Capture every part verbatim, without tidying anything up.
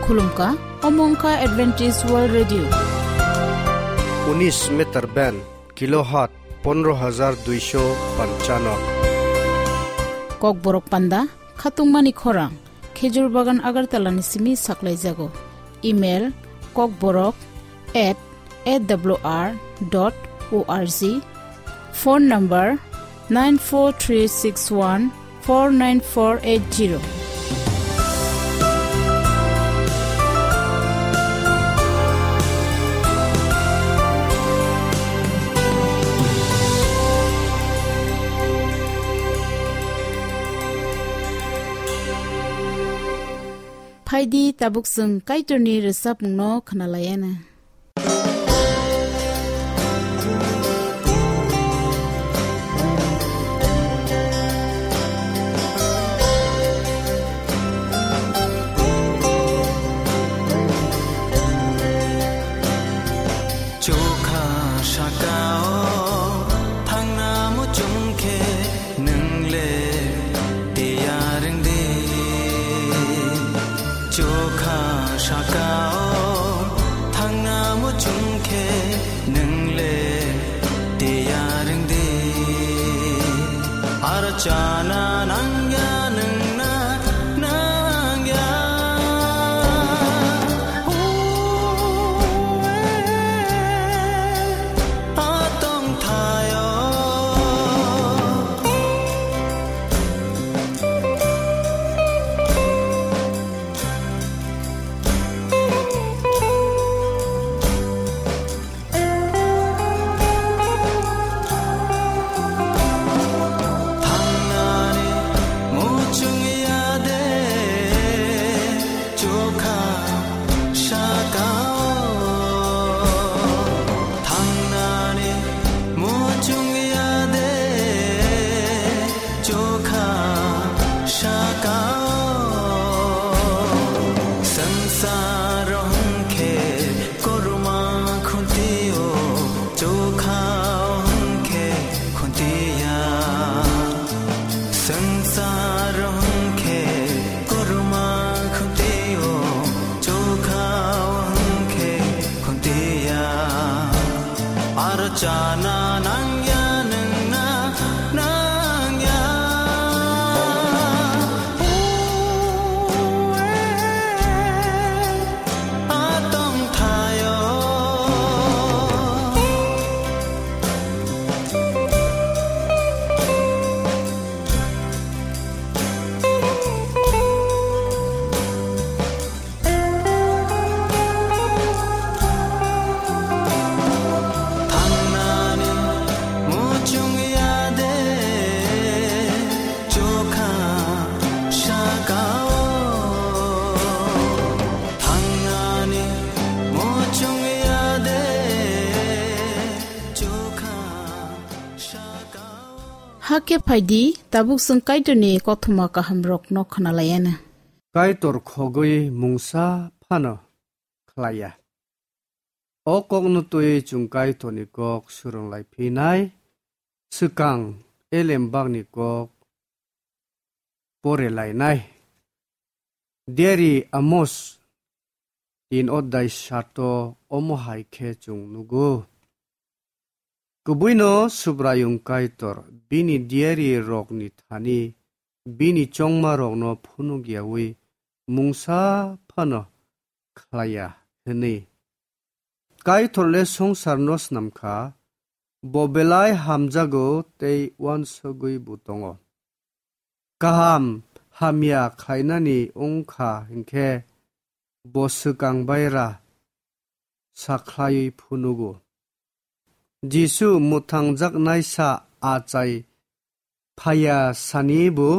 Khulumkha, omo wngkha Adventist World Radio. Unis meter band, kilohertz pondro hajar duisho panchano. Kokborok panda, khatungmani khorang, Khejur Bagan Agartala ni simi saklaijago. Email, kokborok at A W R dot O R G. Phone number nine four three six one four nine four eight zero. Phaidi tabuk chwng Kaitorni rwchapmungno khwnalaiana. Chokha saka-o thangna muchung khe nwng le tiyar wng di. Chokha saka-o thangna muchung khe nwng le tiyar wng di. Aro chana nangya nwng na nangya. Atong thayo. Thangnani muchung ya de chokha saka-o. Thangnani muchung ya de chokha saka-o. Sansar hwnkhe korma khunti-o chokha hwnkhe khunti ya. Sansar hwnkhe korma khunti-o chokha hwnkhe khunti ya. Aro chana nangya nwng na nangya. Atong thayo. Thangnani muchung ya de chokha saka-o. Thangnani muchung ya de chokha saka-o. Hakhe phaidi, tabuk chwng Kaitorni kothoma kahamrokno khwnalaiana. Kaitor khogwi mungsa phano khlaiya. O kokno twi chwng Kaitorni kok swrwng lai phinai, swkang elem bakni kok pore lainai. Diari Amos tin odai sato omo hai khe chwng nugo. Kubuino Subraiyung Kaitor bini diari rokni thani bini chongma rokno phunuk yaui mungsa phano khlaiya hwnwi. Kaitor le songsarno snam kha, bo belai hamjago tei uansugwi bo tongo. Kaham hamya khlainani wng kha hinkhe bo swkang baira sakhlaiwi phunugo. Jisu mwthangjaknaisa achai phaiya sani bo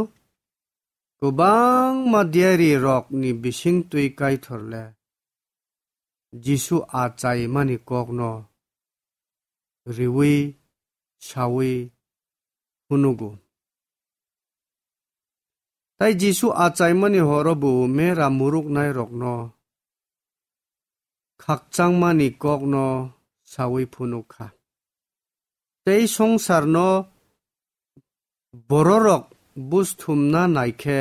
kwbangma diari rokni bisingtwi Kaitor le Jisu achaimani kokno riui saui phunugo. Tai Jisu achaimani horo bo mera muruknairokno khakchangmani kokno saui phunuk kha. Tei songsarno bororok busthumna naikhe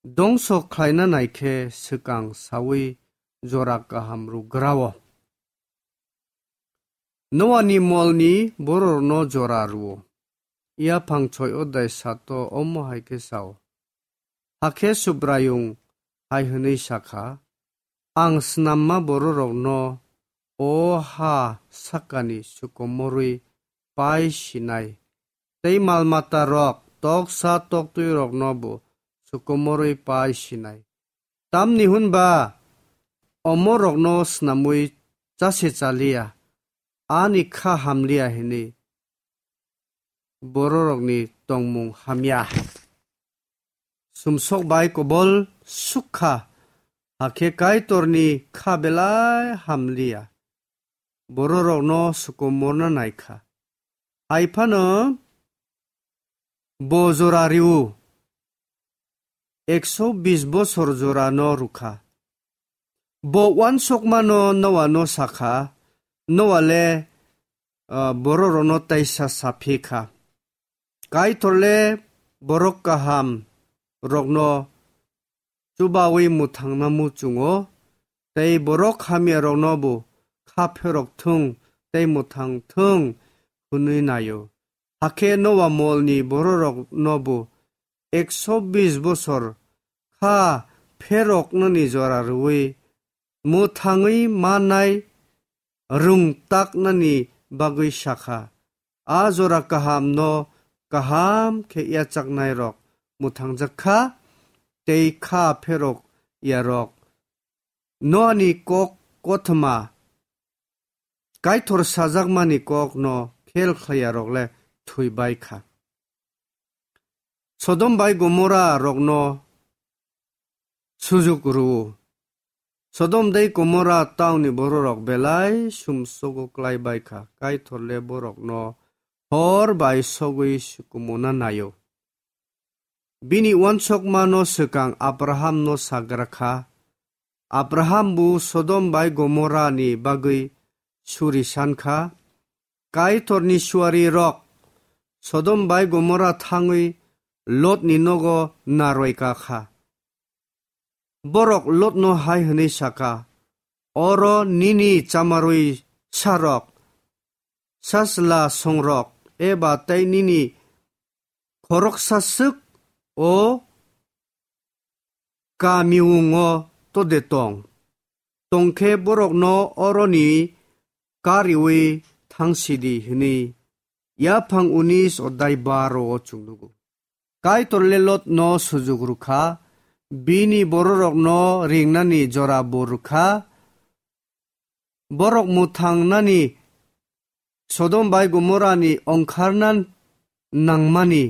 dongso khlaina nai khe swkang saui jora kaham rwgrao. Noani molni bororokno jora rwo. Yaphang soi odai sato omo hai khe sao. Hakhe Subraiyung hai hwnwi sakha, Ang snamma bororokno o ha sakani sukomorwi pai sinai, tei mal matarok toksa toktwiroknobo sukomorwi pai sinai. Tamni hwn ba omorokno snamwi chase chaliya, ani kha hamliya hwnwi bororokni tongmung hamya. Sumsok bai kobol sukha, hakhe Kaitorni kha belai hamliya. Bororokno sukomorna naikha. Hai phano bo jora rw-o, ekso bis bosor jorano rwkha. Bo uansukmano Noano sakha, Noale, ah, bororokno taisa saphi kha. Kaitorle borok kaham rokno chubaui mwthangna muchungo, tei borok hamyaroknobo kha pherok thung tei mwthang thung hwnwi naio. Hakhe Noa molni bororoknobo ekso bis bosor kha pheroknani jora rwui mwthangwi mannai rwngtaknani bagwi sakha, A jora kahamno kaham khe yachaknairok mwthangjak kha, tei kha pherok yarok. Noani kok kothoma Kaitor sajakmani kokno khel khlaiyarok le thwi bai kha. Sodom bai Gomora rokno sujuk rw-o. Sodom tei Gomora tauni bororok belai sumsogo klai bai kha, Kaitor le borokno hor bai sogwi sukumuna naio. Bini uansukmano swkang Abrahamno sagra kha. Abraham bo Sodom bai Gomorani bagwi suri san kha. Kaitorni suari rok Sodom bai Gomora thangwi Lotni nogo narwai ka kha. Borok Lotno hai hwnwi saka, Oro nini chamarwi sarok, sachwla songrok, eba tei nini khoroksa swk o kamiungo tode tong. Tongkhe borokno oroni kariui thangsidi hwnwi yaphang unis odai baro o chwng nugo. Kaitor le Lotno sujuk rwkha, bini bororokno ringnani jora bo rwkha, borok mwthangnani Sodom bai Gomorani ongkharna nangmani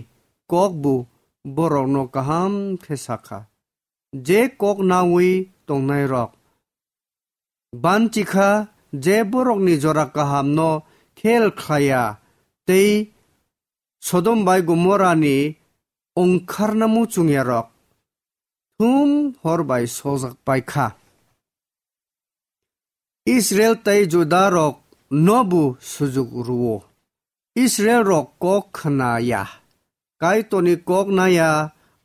kokbo borokno kaham khe sakha. Je kok naui tongnairok banchikha, je borokni jora kahamno khel khlaiya tei Sodom bai Gomorani ongkharna muchungyarok thum hor bai sojak pai kha. Israel tei Juda rok nobu sujuk rwo. Israel rok kok khna ya, Kaitorni kok naya,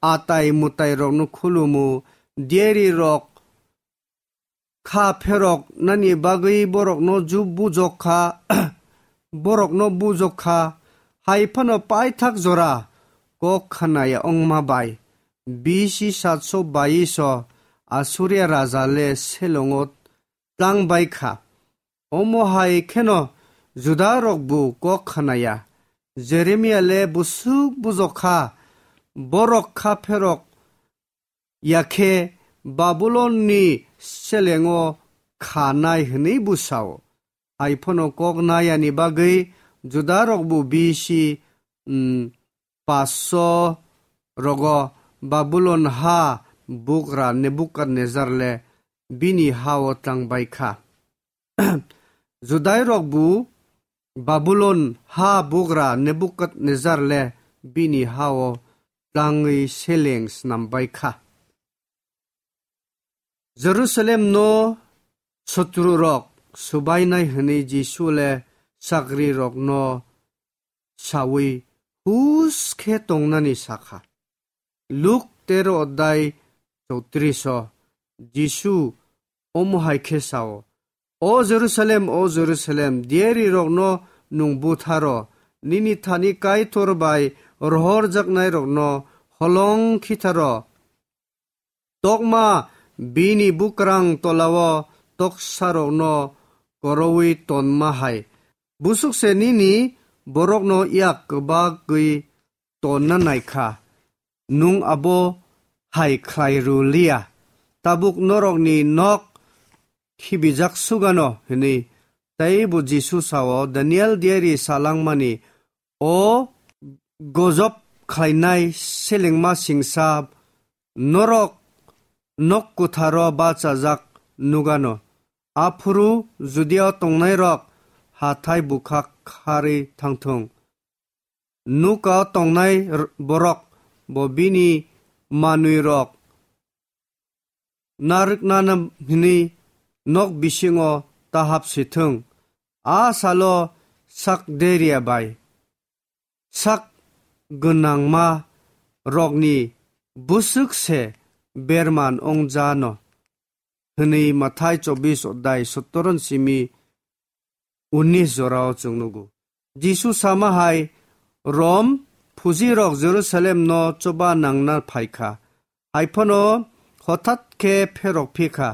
atai mwtai rokno khulumu, diari rok kha pherok nani bagwi borokno ju bujok kha, borokno bujok kha, hai phano paithak jora kok khna ya ongma bai. B C satso bais o Assuria raja le selongo tlang bai kha. Omo hai kheno Juda rok bo kok khna ya. Jeremia le busuk bujok kha, borok kha pherok ya khe Babulon ni selengo kha nai hwnwi bwsao. Hai phano kok nayani bagwi Juda rok bo B C, mm, paso rogo Babulon ha bugra Nebukadnezar le bini ha o tlang bai kha. Judai rok bo Babulon ha bugra Nebukadnezar le bini ha o tlangwi seleng snam bai kha. Jerusalem no sotru rok subainai hwnwi Jisu le chakri rokno saui hus khe tongnani sakha. Luk tero odai chowtris o Jisu omo hai khe sao, "O Jerusalem, o Jerusalem, diyarirokno nwng butharo, nini thani Kaitor bai rohorjaknairokno holong khitharo. Tokma bini bukrang tolao toksarokno koroui tonma hai. Busuk se nini borokno yak kwbagwi tonna nai kha. Nwng abo hai khlai rw liya. Tabuk norokni nok khibijak sugano," hwnwi. Tei bo Jisu sao, "Daniel diari salangmani o gojop khlainai selengma singsa norok nok kwtharo bachajak nugano. Aphuru Judiao tongnairok hathai bukha kharwi thangthung. Nukao tongnai r-, borok bo bini manwirok narwknani hwnwi nok bisingo ta hap sithwng. A salo sak deria bai sak gwnangma rokni bwswk se berman wngjano," hwnwi Mathai chobbish odai sottor simi unnish jorao chwng nugo. Jisu sama hai, Rom phujirok Jerusalemno choba nangna phai kha. Hai phano hothat khe pherok phi kha.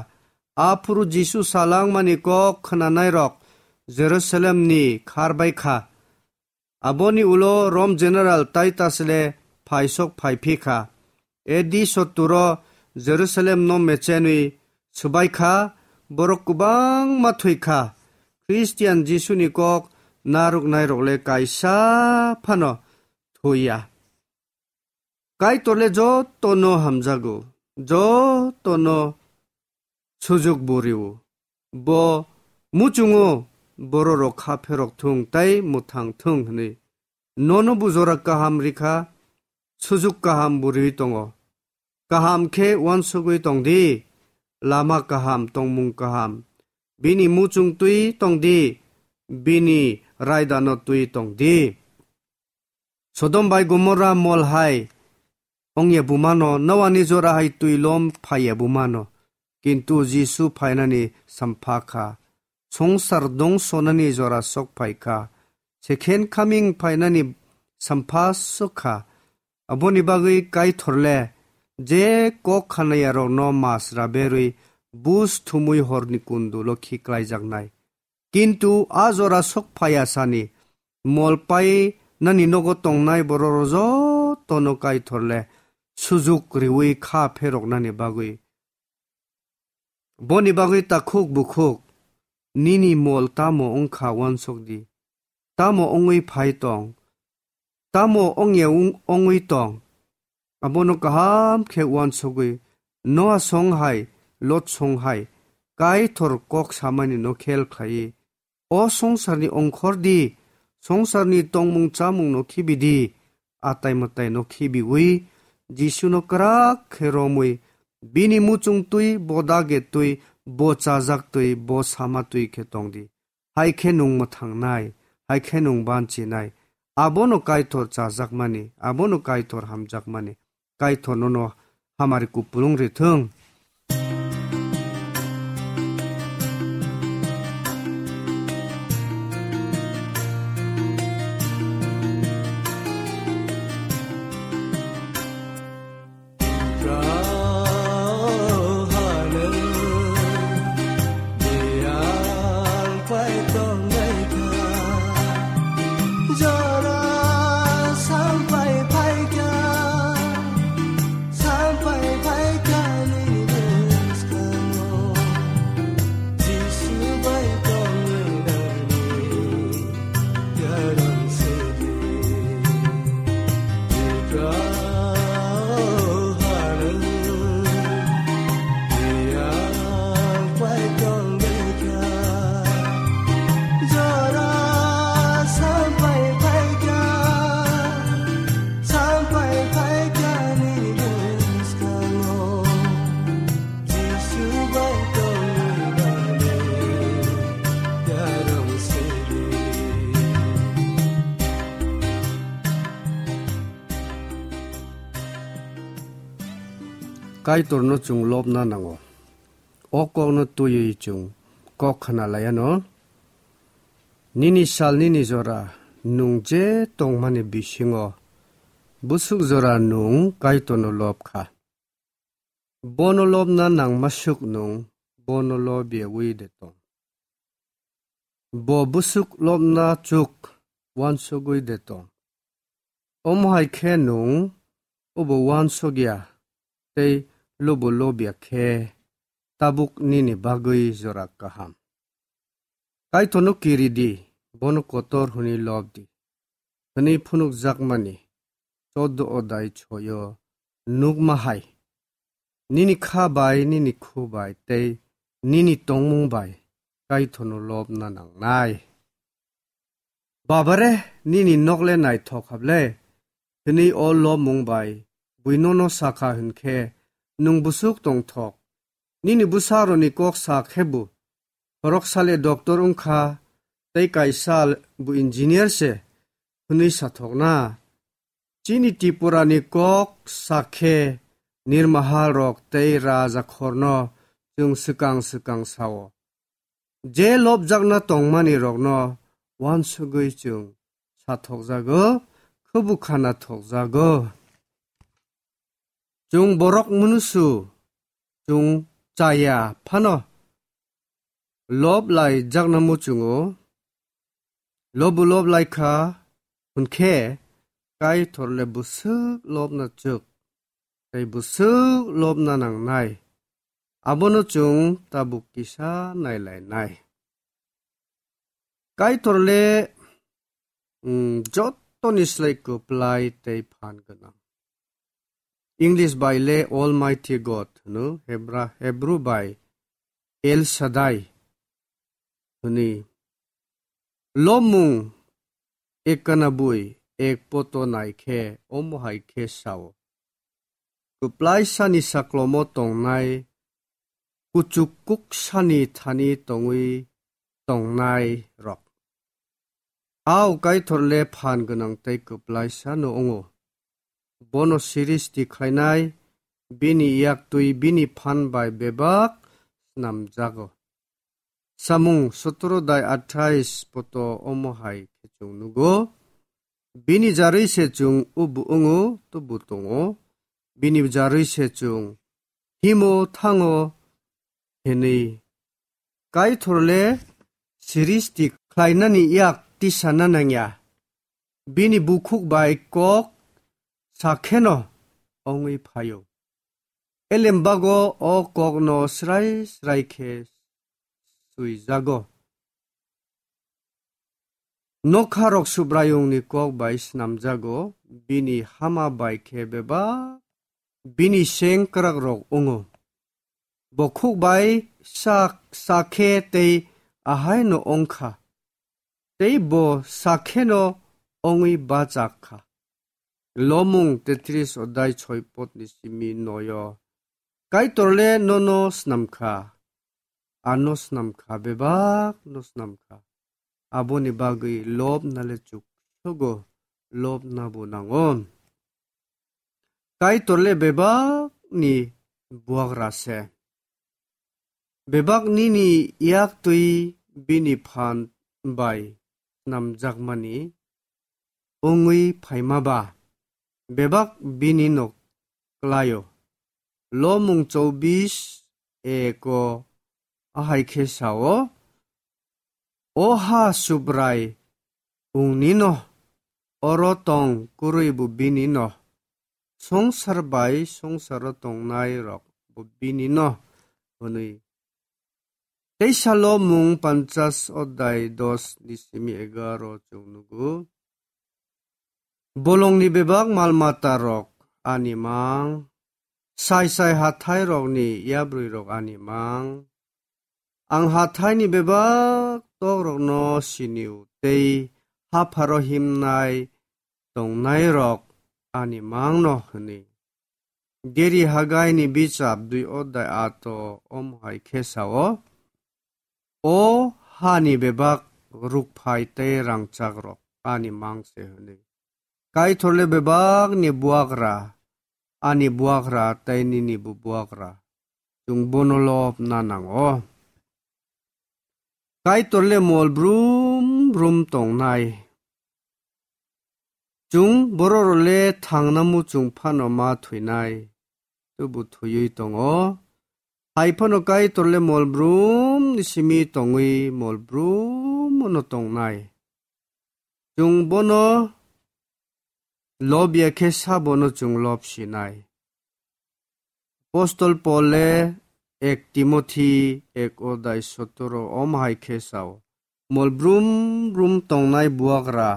Aphuru Jisu salangmani kok khnanairok Jerusalemni khar bai kha. Aboni ulo Rom General Titus le phaisok phai phi kha. A D sottur o Jerusalemno mechenwi swbai kha, borok kwbangma thwi kha. Khristian Jisuni kok narwknairok le kaisa phano thwi ya. Kaitor le jotono hamjago, jotono sujuk bo rio. Bo muchungo bororok kha pherok thung tei mwthang thung hwnwi. Nono bo jora kaham rikha, sujuk kaham bo riwi tongo. Kaham khe uansugwi tong di, lama kaham, tongmung kaham. Bini muchung twi tong di, bini raidano twi tong di. Sodom bai Gomorra mol hai ongya bumano, Noani jora hai twi lom phaiya bumano. Kintu Jisu phainani sampha kha. Songsar dongsonani jora sok phai kha. Second coming phainani sampha sok kha. Aboni bagwi Kaitor le je kok khanayarokno masra berwi bus thumwi horni kundulo khiklaijaknai. Kintu a jora sok phaiya sani, mol pai nani nogo tongnai borok jotono Kaitor le sujuk riwi kha pheroknani bagwi. Boni bagwi takhuk bukhuk, nini mol tamo wngkha uansuk di, tamo wngwi phai tong, tamo wngya wng-, wngwi tong, abono kaham khe uansugwi Noa song hai, Lot song hai, Kaitor kok samani no khel khlaiwi, o songsarni ongkhor di, songsarni tongmung chamung no khibi di, atai matai no khibiwi, Jisu no kwrak khe romwi, bini muchung twi, bo dage twi, bo chajak twi, bo sama twi khe tong di. Hai khe nwng mwthangnai, hai khe nwng banchinai. Abono Kaitor chajakmani, abono Kaitor hamjakmani. Kaitor nono hamari kupulung rithwng. Kaitorno chwng lobna nango. O kokno twiwi chwng kok khna laiano. Nini sal nini jora nwng je tongmani bisingo bwswk jora nwng Kaitorno lob kha. Bono lobna nangma swk nwng bono lobiyawi de tong. Bo bwswk lobna chuk wansugwi de tong. Omo hai khe nwng obo wansugya tei lobo lobya khe tabuk nini bagwi jora kaham. Kaitorno kiri di, bono kotor hwnwi lob di, hwnwi phunukjakmani choddo odai choyo nukma hai. Nini kha bai, nini khu bai tei nini tongmung bai Kaitorno lobna nangnai. Babare, nini nok le naithok hable, hwnwi o lobmung bai bui nono sakha hwn khe nwng bwswk tongthok. Nini bwsarokni kok sa khe bo, khoroksa le doctor wng kha tei kaisa bo engineer se hwnwi sathokna. Chini Tripurani kok sa khe nirmahalrok tei rajakhorno chwng swkang swkang sao. Je lobjakna tongmani rokno wansugwi chwng sathokjago, khubu khana thokjago. Chwng borok munusu chwng chaya phano lob lai jakna muchungo, lobu lob lai kha hwn khe Kaitor le bwswk lobna chwk tei bwswk lobna nangnai, abono chwng tabuk kisa nailainai. Kaitor le, mm, jottoni slai kwplai tei phan gwnang. English bai le Almighty God hwno, Hebra-, Hebrew bai El Shaddai hwnwi. Lomung ekana bui ek poto nai khe omo hai khe sao. Kwplai sani saklomo tongnai, kuchuk kuk sani thani tongwi tongnai rok. Ao Kaitor le phan gwnang tei kwplai sano wngo. Bono siristi khlainai, bini yaktwi bini phan bai bebak snamjago. Samung sotoro dai athais poto omo hai khe chwng nugo. Bini jarwi se chwng ubu wngo, tubu tongo. Bini jarwi se chwng himo thango hinwi. Kaitor le siristi khlainani yak tisana nangya. Bini bukhuk bai kok sakheno ongwi phaio. Elembago o kokno srai srai khe swijago. Nokharok Subraiyungni kok bai snamjago, bini hama bai khe bebak bini seng kwrakrok wngo. Bo khuk bai sak sakhe tei ahaino wngkha, tei bo sakheno wngwi bachak kha. Lomung tetris odai soi potni simi noyo. Kaitor le nono snamkha, ano snamkha, bebak no snamkha. Aboni bagwi lobna le chuk sogo, lobna bo nango. Kaitor le bebak ni buagra se. Bebak nini yak twi bini phan bai snamjakmani wngwi phaima ba, bebak bini no klaio. Lomung chobis eko ahai khe sao, O ha Subrai, wngnino, oro tong kwrwi bo binino, songsar bai songsaro tongnai rok bo binino, hwnwi. Teisa Lomung panchas odai dos ni simi egaro chwng nugo. Bolongni bebak mal mata rok ani mang, sai sai hathai rokni yabrwi rok ani mang. Ang hathaini bebak tok rokno siniu tei hapharo himnai tongnai rok ani mangno hwnwi. Geri Hagaini bichap dui odai ato omo hai khe sao, O hani bebak rukphai tei rangchak rok ani mang se hwnwi. Kaitor le bebak ni buagra, ani buagra tei ninibo buagra. Chwng bono lobna nango. Kaitor le mol brum brum tongnai. Chwng borok rok le thangna muchung phano ma thwinai. Tubu thwiwi tongo. Hai phano Kaitor le mol brum ni simi tongwi mol brum no tongnai. Chwng bono lobya khe sabono chwng lob sinai. Apostol Pol le ek Timothi ek odai sotoro om hai khe sao. Mol brum brum tongnai buagra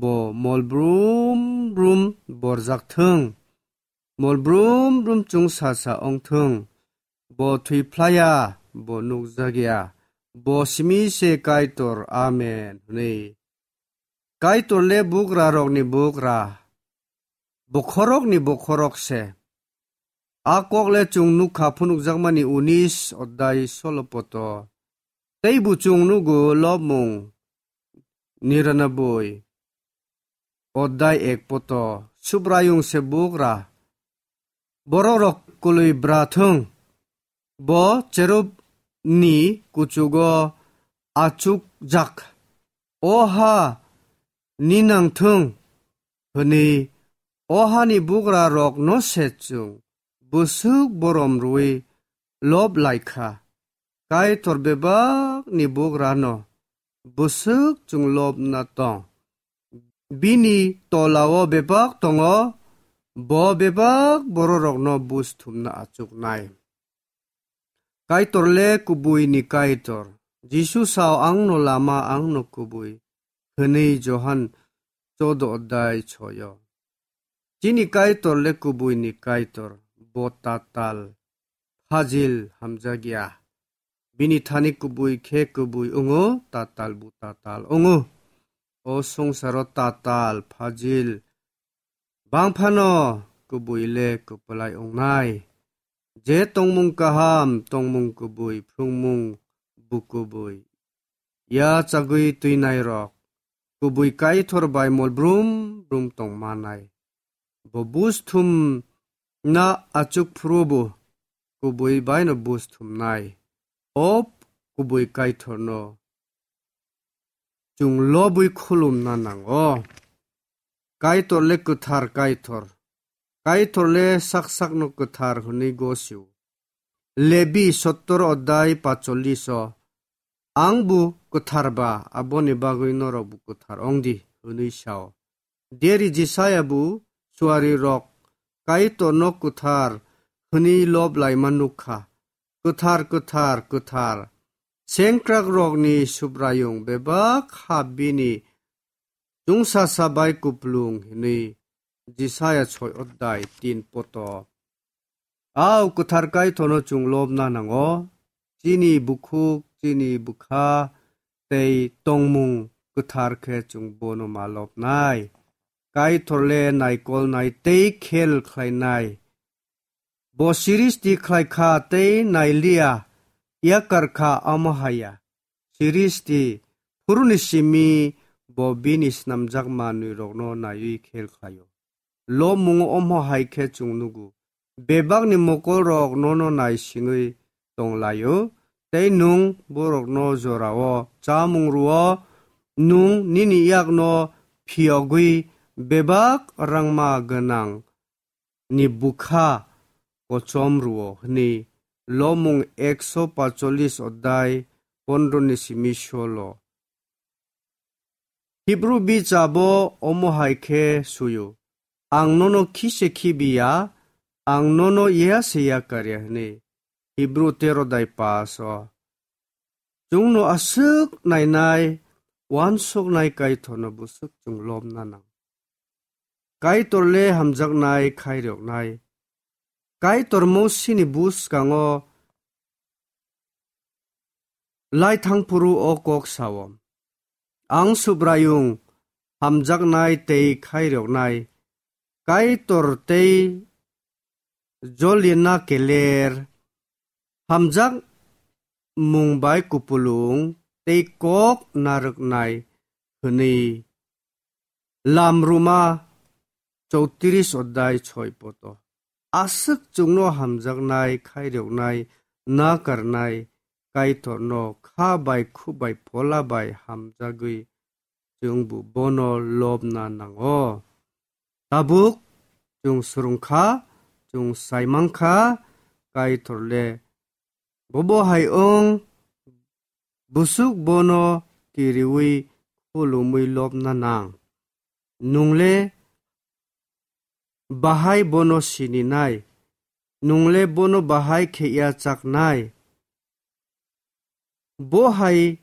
bo mol brum brum borjak thung. Mol brum brum chwng sasa ong thung. Bo thwi phlaya, bo nukjakya. Bo simi se Kaitor, amen, hwnwi. Kaitor le bugra rokni bugra, bokhorokni bokhorok se. A kok le chwng nukha phunukjakmani unis odai solo poto. Tei bo chwng nugo lobmung niranaboi odai ek poto. Subraiyung se bugra. Borok rok kwlwi bra thung. Bo cherub ni kuchugo achukjak. O ha ninang thung, hwnwi o hani bugra rok no se chwng bwswk borom rwui lob lai kha. Kaitor bebak ni bugra no bwswk chwng lobna tong. Bini tolao bebak tongo, bo bebak bororokno buj thumna achuknai. Kaitor le kubui ni Kaitor. Jisu sao, "Ang no lama, ang no kubui," hwnwi Johan chodo odai choyo. Chini Kaitor le kubui ni Kaitor, bo tatal, phajil hamjakya. Bini thani kubui khe kubui wngo, tatal bo tatal wngo. O songsaro tatal, phajil, bang phano kubui le kwplai wngnai. Je tongmung kaham, tongmung kubui, phrwngmung bo kubui. Ya chagwi twinai rok, kubui Kaitor bai mol brum brum tong manai. Bo buj thum na achuk phuru bo kubui bai no buj thumnai. O kubui Kaitor no chwng lobwi khulumna nango. Kaitor le kwthar Kaitor. Kaitor le sak sakno kwthar hwnwi gosio. Lebi sottor odai pacholiso, "Ang bo kwthar ba, aboni bagwi norok bo kwthar wng di," hwnwi sao. Deri Jisaya bo suari rok Kaitor no kwthar hwnwi lob laima nukha. "Kwthar, kwthar, kwthar, sengkrak rokni Subraiyung, bebak ha bini chwngsacha bai kuplung," hwnwi Jisaya soi odai tin poto. Au kwthar Kaitor no chwng lobna nango. Chini bukhuk, chini bwkha tei tongmung kwthar khe chwng bono ma lobnai. Kaitor le naikolnai tei khel khlainai. Bo siristi khlai kha tei nailiya, yakar kha, omo haya. Siristi phuruni simi bo bini snamjak manwirokno naiwi khel khlaio. Lobmungo omo hai khe chwng nugo. Bebakni mokolrok nono naisingwi tonglaio, tei nwng borokno jorao chamung rwo, nwng nini yakno phiyogwi bebak rangma gwnang ni bwkha kochom rwo, hwnwi Lobmung ekso pacholis odai pondro ni simi solo. Hibru bichabo omo hai khe suyo, "Ang nono khise khibiya, ang nono ya se yakarya," hwnwi. Hibru tero dai pas o. Chwngno aswk nainai, uansuknai Kaitorno bwswk chwng lobna nang. Kaitor le hamjaknai, khairoknai. Kaitor Mosini bwskango lai thangphuru o kok sao, "Ang Subraiyung, hamjaknai tei khairoknai, Kaitor tei jolina keler, hamjak mung bai kupulung tei kok narwknai," hwnwi Lam Ruma chowtris odai soi poto. aswk chwngno hamjaknai, khairoknai, nakarnai Kaitorno kha bai khuk bai phola bai hamjagwi chwngbo bono lobna nango. Tabuk chwng swrwngkha, chwng saimankha, Kaitorle bobo hai wng, bwswk bono kiriwi khulumwi lobna nang. Nungle bahai bono sininai, nungle bono bahai khe yachaknai. Bo hai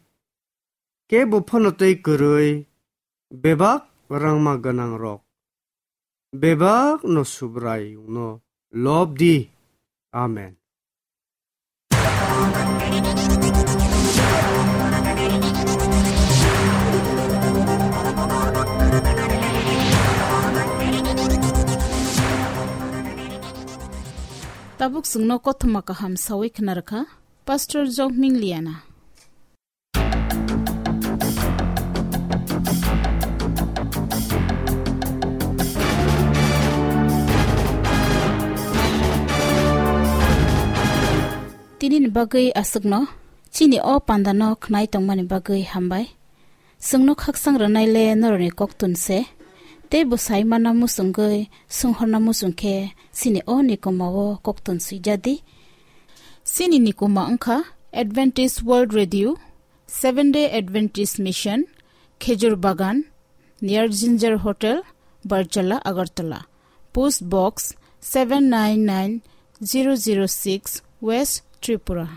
kebo phano tei kwrwi, bebak rangma gwnangrok, bebakno Subraiyungno lob di. Amen. Tabuk chwngno kothoma kaham sawi khna rwkha Pastor Jokming Liana. Tini ni bagwi aswkno, chini o panda no khnai tongmani bagwi hambai. Chwngno khaksang rwnai le norokni koktun se, tei bwsai mana muchungwi swnghorna muchung khe chini o nikoma o koktun swijadi. Chini nikoma wngkha Adventist World Radio, Seventh Day Adventist Mission, Khejur Bagan, near Ginger Hotel, Barjala, Agartala. Post Box seven nine nine zero zero six, West Tripura.